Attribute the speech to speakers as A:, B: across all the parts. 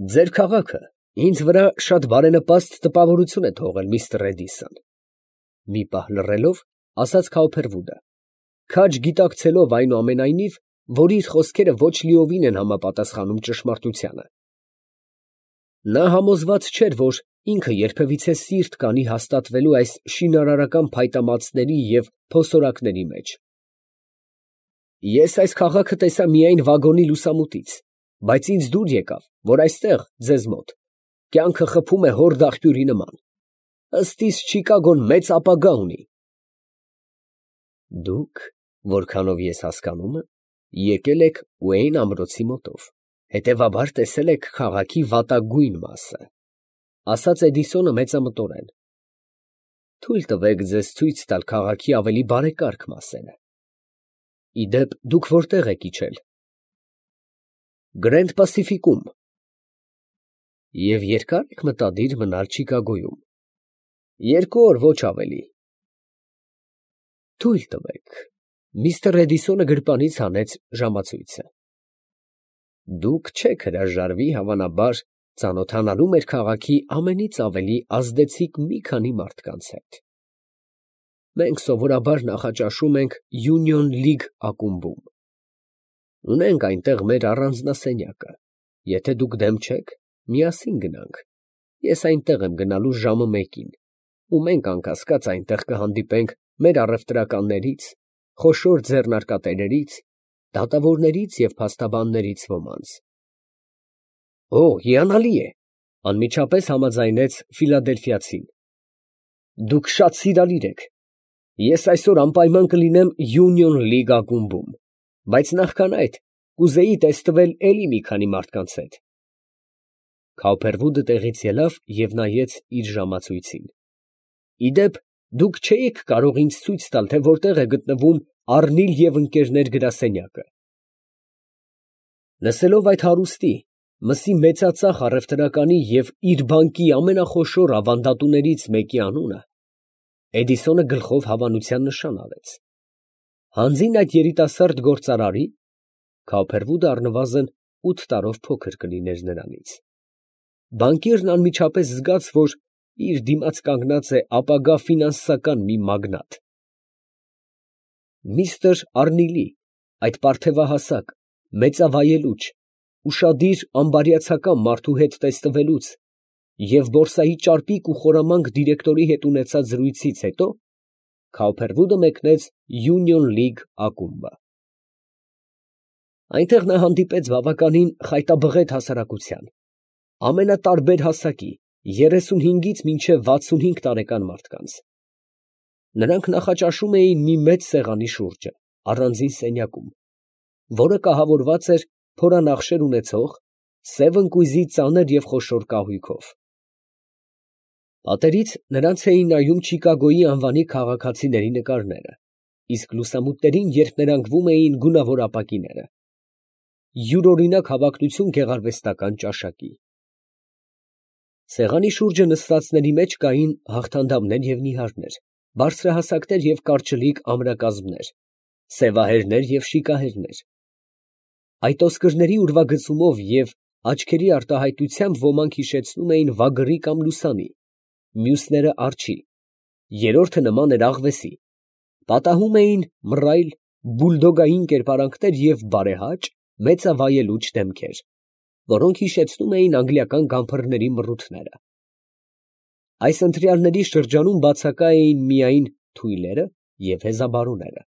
A: Ձեր քաղաքը ինձ վրա շատ բարենպաստ տպավորություն է թողել, միստր Էդիսոն, ֊ մի պահ լռելով, ասաց Քաուփերվուդը, քաջ գիտակցելով այնուամենայնիվ, որ իր խոսքերը ոչ լիովին են համապատասխանում ճշմարտությանը։ Նա համոզված չէր, որ ինքը երբևիցե սիրտ կանի հաստատվելու այս շինարարական փայտամածների և փոսորակների մեջ։ Ես այս քաղաքը տեսա միայն վագոնի լուսամուտից, բայց ինձ դուր եկավ, որ այստեղ, ձեզ մոտ, կյանքը խփում է հորդ աղբյուրի նման, ըստ իս Չիկագոն մեծ ապագա ունի։ Դուք, որքանով ես հասկանում եմ, եկել եք Ուեյն ամրոցի մոտով, հետևաբար տեսել եք քաղաքի վատագույն մասը, ֊ ասաց Էդիսոնը մեծամտորեն։ Թույլ տվեք ձեզ ցույց տալ քաղաքի ավելի բարեկարգ մասերը։ Ի դեպ, դուք որտե՞ղ եք իջել։ Գրենդ Պասիֆիկում։ Եվ երկա՞ր եք մտադիր մնալ Չիկագոյում։ 2 օր, ոչ ավելի։ Թույլ տվեք։ Միստր Էդիսոնը գրպանից հանեց ժամացույցը։ Դուք չեք հրաժարվի, հավանաբար, ծանոթանալու մեր քաղաքի ամենից ավելի ազդեցիկ մի քանի մարդկանց հետ։ Մենք սովորաբար նախաճաշում ենք Union League ակումբում։ Ունենք այնտեղ մեր առանձնասենյակը։ Եթե դուք դեմ չեք, միասին գնանք։ Ես այնտեղ եմ գնալու ժամը 1-ին, ու մենք անկասկած այնտեղ կհանդիպենք մեր առևտրականներից, խոշոր ձեռնարկատերերից, դատավորներից և փաստաբաններից ոմանց։ Օ, հիանալի է, ֊ անմիջապես համաձայնեց ֆիլադելֆիացին։ Դուք շատ սիրալիր եք։ Ես այսօր անպայման կլինեմ Union League ակումբում, բայց նախքան այդ կուզեի տեստվել էլի մի քանի մարդկանց հետ։ Քաուփերվուդը տեղից ելավ և նայեց իր ժամացույցին։ Ի դեպ, դուք չէիք կարող ինձ ցույց տալ, թե որտեղ է գտնվում Առնիլ և Ընկերներ գրասենյակը։ Լսելով այդ հարուստի, մսի մեծածախ առևտրականի և իր բանկի ամենախոշոր ավանդատուներից մեկի անունը, Էդիսոնը գլխով հավանության նշան արեց։ Հանձին այդ երիտասարդ գործարարի (Քաուփերվուդը առնվազն 8 տարով փոքր կլիներ նրանից) բանկիրն անմիջապես զգաց, որ իր դիմաց կանգնած է ապագա ֆինանսական մի մագնատ։ Միստր Առնիլի այդ պարթևահասակ, մեծավայելուչ, ուշադիր ամբարյացակամ մարդու հետ տեսնվելուց և բորսայի ճարպիկ ու խորամանկ դիրեկտորի հետ ունեցած զրույցից հետո Քաուփերվուդը մեկնեց Union League ակումբը։ Այնտեղ նա հանդիպեց բավականին խայտաբղետ հասարակության, ամենատարբեր հասակի, 35-ից մինչև 65 տարեկան մարդկանց։ Նրանք նախաճաշում էին մի մեծ սեղանի շուրջը, առանձին սենյակում, որը կահավորված էր փորանախշեր ունեցող, սև ընկույզի ծանր և խոշոր կահույքով։ Պատերից նրանց էին նայում Չիկագոյի անվանի քաղաքացիների նկարները, իսկ լուսամուտներին երբ էին գունավոր ապակիները։ Յուրօրինակ հավակնություն գեղարվեստական ճաշակի։ Սեղանի շուրջը նստածների մեջ կային հաղթանդամներ և նիհարներ, բարձրահասակներ և կարճլիկ ամրակազմներ, սևահերներ և շիկահերներ։ Այդ ոսկրների ուրվագծումով և աչքերի արտահայտությամբ ոմանք հիշեցնում էին վագրի կամ լուսանի, մյուսները արջի, երրորդը նման էր աղվեսի, պատահում էին մռայլ, բուլդոգային կերպարանքներ և բարեհաճ, մեծավայելուչ դեմքեր, որոնք հիշեցնում էին անգլիական գամփրների մռութները։ Այս ընտրյալների շրջանում բացակա էին միայն թույլերը և հեզաբարուները։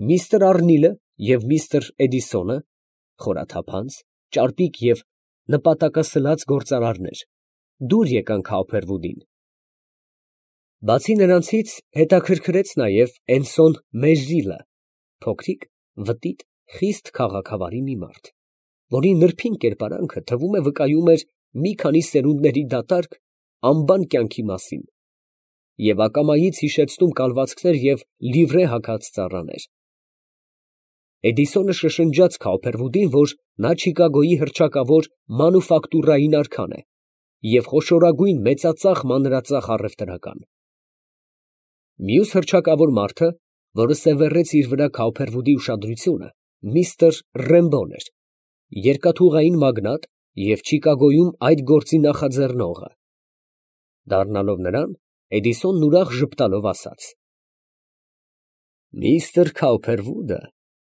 A: Միստր Առնիլը և միստր Էդիսոնը, խորաթափանց, ճարպիկ և նպատակասլաց գործարարներ, դուր եկան Քաուփերվուդին։ Բացի նրանցից հետաքրքրեց նաև Էնսոն Մեժրիլը, փոքրիկ, վտիտ, խիստ քաղաքավարի մի մարդ, որի նրբին կերպարանքը, թվում է, վկայում էր մի քանի սերունդների դատարկ, անբան կյանքի մասին և ակամայից հիշեցնում կալվածքներ և լիվրե հագած ծառաներ։ Էդիսոնը շշնջաց Քաուփերվուդին, որ նա Չիկագոյի հռչակավոր մանուֆակտուրային արքան է և խոշորագույն մեծածախ մանրածախ առևտրական։ Մյուս հռչակավոր մարդը, որը սևեռեց իր վրա Քաուփերվուդի ուշադրությունը, միստր Ռեմբոն էր, երկաթուղային մագնատ և Չիկագոյում այդ գործի նախաձեռնողը։ Դառնալով նրան, Էդիսոնն ուրախ ժպտալով ասաց. «Միստր Քաուփերվուդը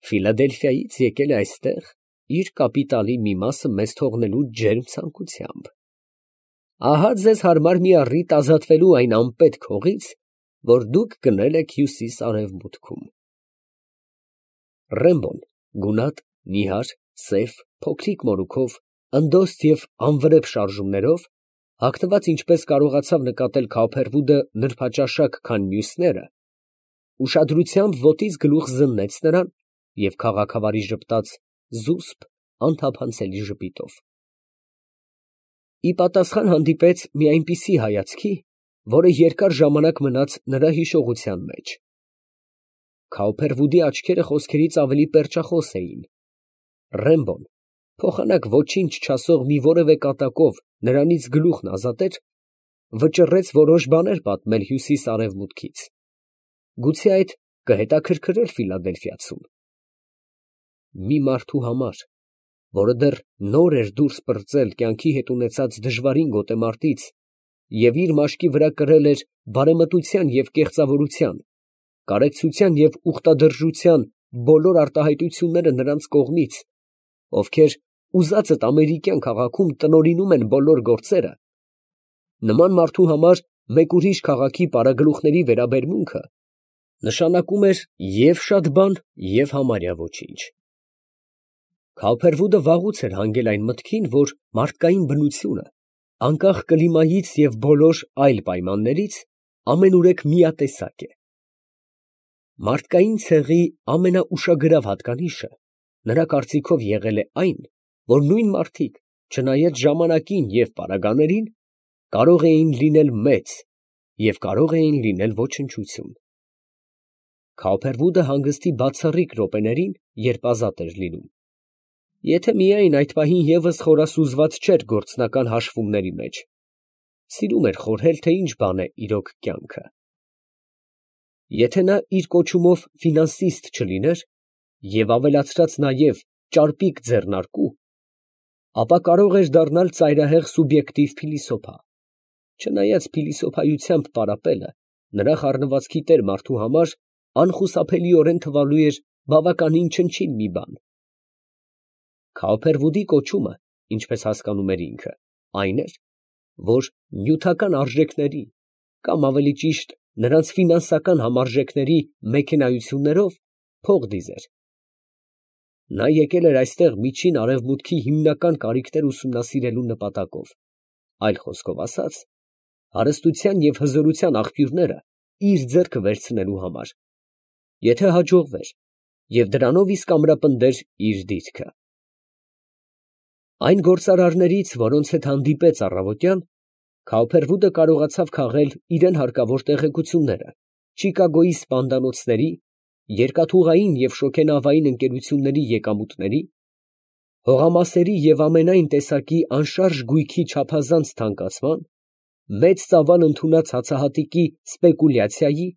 A: Ֆիլադելֆիայից եկել է այստեղ իր կապիտալի մի մասը մեզ թողնելու ջերմ ցանկությամբ։ Ահա ձեզ հարմար մի առիթ ազատվելու այն անպետք հողից, որ դուք գնել եք հյուսիս֊արևմուտքում»։ Ռեմբոն գունատ, նիհար, սև, փոքրիկ մորուքով, ընդոստ և անվրեպ շարժումներով, հագնված ինչպես կարողացավ նկատել Քաուփերվուդը նրբաճաշակ, քան մյուսները, ուշադրությամբ ոտից գլուխ զննեց նրան և քաղաքավարի ժպտաց զուսպ, անթափանցելի ժպիտով։ Ի պատասխան հանդիպեց մի այնպիսի հայացքի, որը երկար ժամանակ մնաց նրա հիշողության մեջ։ Քաուփերվուդի աչքերը խոսքերից ավելի պերճախոս էին։ Ռեմբոն, փոխանակ ոչինչ չասող մի որևէ կատակով նրանից գլուխն ազատեր, վճռեց որոշ բաներ պատմել հյուսիս֊արևմուտքից։ Գուցե այդ կհետաքրքրեր Ֆիլադելֆիացուն։ Մի մարդու համար, որը դեռ նոր էր դուրս պրծել կյանքի հետ ունեցած դժվարին գոտեմարտից և իր մաշկի վրա կրել էր բարեմտության և կեղծավորության, կարեկցության և ուխտադրժության բոլոր արտահայտությունները նրանց կողմից, ովքեր ուզածդ ամերիկյան քաղաքում տնօրինում են բոլոր գործերը, նման մարդու համար մեկ ուրիշ քաղաքի պարագլուխների վերաբերմունքը նշանակում էր և շատ բան, և համարյա ոչինչ։ Քաուփերվուդը վաղուց էր հանգել այն մտքին, որ մարդկային բնությունը, անկախ կլիմայից և բոլոր այլ պայմաններից, ամենուրեք միատեսակ է։ Մարդկային ցեղի ամենաուշագրավ հատկանիշը նրա կարծիքով եղել է այն, որ նույն մարդիկ, չնայած ժամանակին և պարագաներին, կարող էին լինել մեծ և կարող էին լինել ոչնչություն։ Քաուփերվուդը հանգստի բացառիկ րոպեներին, երբ ազատ էր լինում, եթե միայն այդ պահին ևս խորասուզված չէր գործնական հաշվումների մեջ, սիրում էր խորհել, թե ինչ բան է իրոք կյանքը։ Եթե նա իր կոչումով ֆինանսիստ չլիներ և ավելացրած նաև ճարպիկ ձեռնարկու, ապա կարող էր դառնալ ծայրահեղ սուբյեկտիվ փիլիսոփա, չնայած փիլիսոփայությամբ պարապելը նրա խառնվածքի տեր մարդու համար անխուսափելիորեն թվալու էր բավականին չնչին մի բան։ Քաուփերվուդի կոչումը, ինչպես հասկանում էր ինքը, այն էր, որ նյութական արժեքների, կամ ավելի ճիշտ նրանց ֆինանսական համարժեքների մեքենայություններով փող դիզեր։ Նա եկել էր այստեղ միջին արևմուտքի հիմնական կարիքներ ուսումնասիրելու նպատակով, այլ խոսքով ասած, հարստության և հզորության աղբյուրները իր ձեռքը վերցնելու համար, եթե հաջողվեր, և դրանով իսկ ամրապնդեր իր դիրքը։ Այն գործարարներից, որոնց հետ հանդիպեց առավոտյան, Քաուփերվուդը կարողացավ քաղել իրան հարկավոր տեղեկությունները Չիկագոյի սպանդանոցների, երկաթուղային և շոգենավային ընկերությունների եկամուտների, հողամասերի և ամենայն տեսակի անշարժ գույքի չափազանց թանկացման, մեծ ծավալ ընդունած հացահատիկի սպեկուլյացիայի,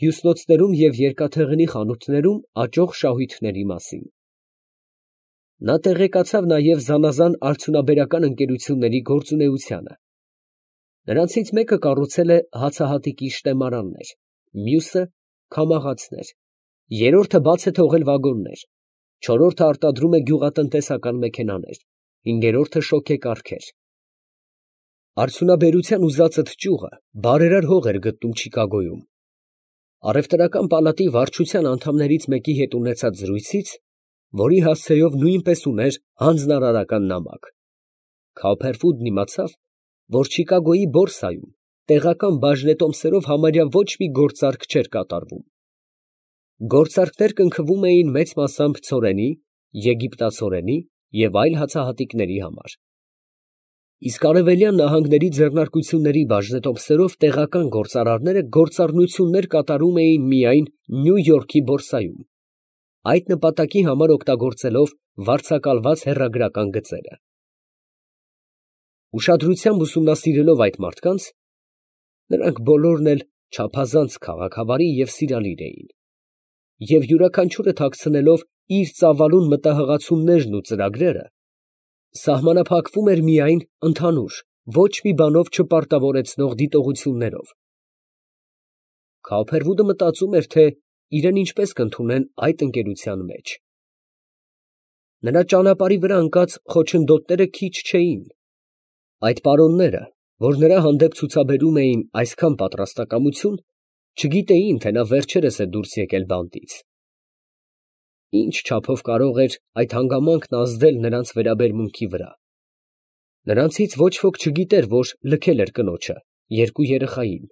A: հյուսնոցներում և երկաթեղենի խանութներում աճող շահույթների մասին։ Նա տեղեկացավ նաև զանազան արդյունաբերական ընկերությունների գործունեությանը։ Նրանցից մեկը կառուցել է հացահատիկի շտեմարաններ, մյուսը՝ քամաղացներ, երրորդը բաց է թողել վագոններ, չորրորդը արտադրում է գյուղատնտեսական մեքենաներ, հինգերորդը շոգեկառքեր։ Արդյունաբերության ուզածդ ճյուղը բարերար հող էր գտնում Չիկագոյում։ Առևտրական պալատի վարչության անդամներից մեկի հետ ունեցած զրույցից, որի հասցեով նույնպես ուներ հանձնարարական նամակ, Քաուփերվուդն իմացավ, որ Չիկագոյի բորսայում տեղական բաժնետոմսերով համարյա ոչ մի գործարք չէր կատարվում։ Գործարքներ կնքվում էին մեծ մասամբ ցորենի, եգիպտացորենի և այլ հացահատիկների համար, իսկ արևելյան նահանգների ձեռնարկությունների բաժնետոմսերով տեղական գործարարները գործառնություններ կատարում էին միայն Նյու Յորքի բորսայում, այդ նպատակի համար օգտագործելով վարձակալված հեռագրական գծերը։ Ուշադրությամբ ուսումնասիրելով այդ մարդկանց, նրանք բոլորն էլ չափազանց քաղաքավարի և սիրալիր էին, և յուրաքանչյուրը թաքցնելով իր ծավալուն մտահղացումներն ու ծրագրերը, սահմանափակվում էր միայն ընդհանուր, ոչ մի բանով չպարտավորեցնող դիտողություններով։ Քոփերվուդը մտածում էր, թե իրեն ինչպես կընդունեն այդ ընկերության մեջ։ Նրա ճանապարհի վրա ընկած խոչընդոտները քիչ չէին։ Այդ պարոնները, որ նրա հանդեպ ցուցաբերում էին այսքան պատրաստակամություն, չգիտեին, թե նա վերջերս է դուրս եկել բանտից։ Ինչ չափով կարող էր այդ հանգամանքն ազդել նրանց վերաբերմունքի վրա։ Նրանցից ոչ ոք չգիտեր, որ լքել էր կնոջը, երկու երեխային,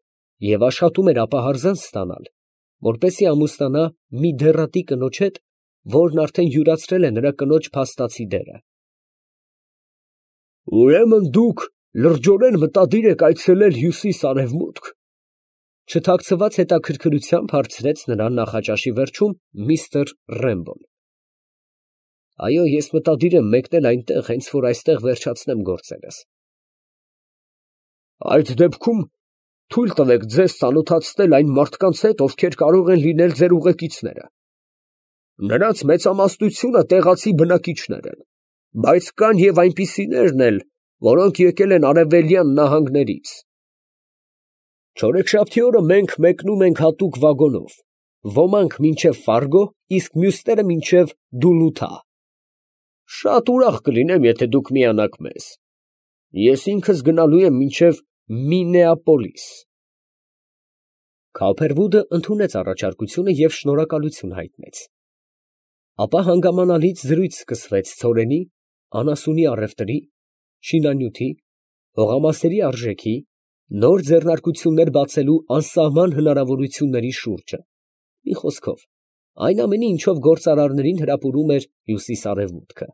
A: և աշխատում էր ապահարզանց ստանալ, որպեսզի ամուսնանա մի դեռատի կնոջ հետ, որն արդեն յուրացրել է նրա կնոջ փաստացի դերը։ «Ուրեմն դուք լրջորեն մտադիր եք այցելել հյուսիս֊արևմուտք, ֊ չթաքցված հետաքրքրությամբ հարցրեց նրան նախաճաշի վերջում միստր Ռեմբոն։ ֊ Այո, ես մտադիր եմ մեկնել այնտեղ, հենց որ այստեղ վերջացնեմ գործերս։ ֊ Այդ դեպքում թույլ տվեք ձեզ ծանոթացնել այն մարդկանց հետ, ովքեր կարող են լինել ձեր ուղեկիցները. նրանց մեծամասնությունը տեղացի բնակիչներ են, բայց կան և այնպիսիներն էլ, որոնք եկել են արևելյան նահանգներից։ Չորեքշաբթի օրը մենք մեկնում ենք հատուկ վագոնով, ոմանք մինչև Ֆարգո, իսկ մյուսները մինչև Դուլութա։ Շատ ուրախ կլինեմ, եթե դուք միանաք մեզ։ Ես ինքս գնալու եմ մինչև Մինեապոլիս։ Քոփերվուդը ընդունեց առաջարկությունը և շնորհակալություն հայտնեց։ Ապա հանգամանալից զրույց սկսվեց ցորենի, անասունի առևտրի, շինանյութի, հողամասերի արժեքի, նոր ձեռնարկություններ բացելու անսահման հնարավորությունների շուրջը, մի խոսքով, այն ամենի, ինչով գործարարներին հրապուրում էր հյուսիս֊արևմուտքը։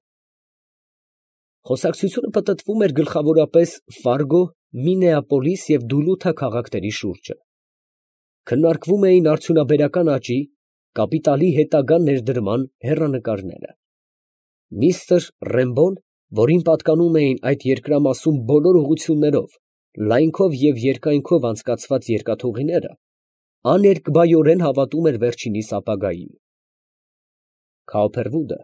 A: Խոսակցությունը պտտվում էր գլխավորապես Ֆարգո, Մինեապոլիս և Դուլութա քաղաքների շուրջը։ Քննարկվում էին արդյունաբերական աճի, կապիտալի հետագա ներդրման հեռանկարները։ Միստր Ռեմբոն, որին պատկանում էին այդ երկրամասում բոլոր ուղղություններով, լայնքով և երկայնքով անցկացված երկաթուղիները, աներկբայորեն հավատում էր վերջինիս ապագային։ Քոփերվուդը,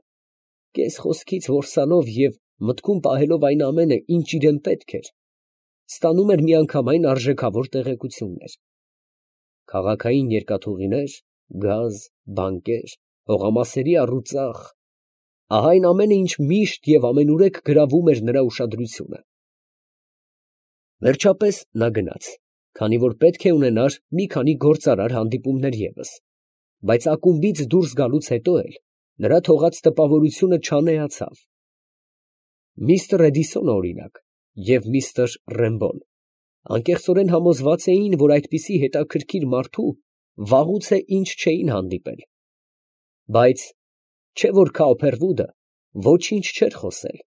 A: կես խոսքից որսալով և մտքում պահելով այն ամենը, ինչ իրան պետք էր, ստանում էր միանգամայն արժեքավոր տեղեկություններ. քաղաքային երկաթուղիներ, գազ, բանկեր, հողամասերի առուծախ, ահա այն ամենը, ինչ միշտ և ամենուրեք գրավում էր նրա ուշադրությունը։ Վերջապես նա գնաց, քանի որ պետք է ունենար մի քանի գործարար հանդիպումներ ևս, բայց ակումբից դուրս գալուց հետո էլ նրա թողած տպավորությունը չանեացավ։ Միստր Էդիսոնը, օրինակ, և միստր Ռեմբոն անկեղծորեն համոզված էին, որ այդպիսի հետաքրքիր մարդու վաղուց է ինչ չէին հանդիպել, բայց չէ որ Քոփերվուդը ոչինչ չէր խոսել,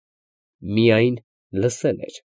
A: միայն լսել էր։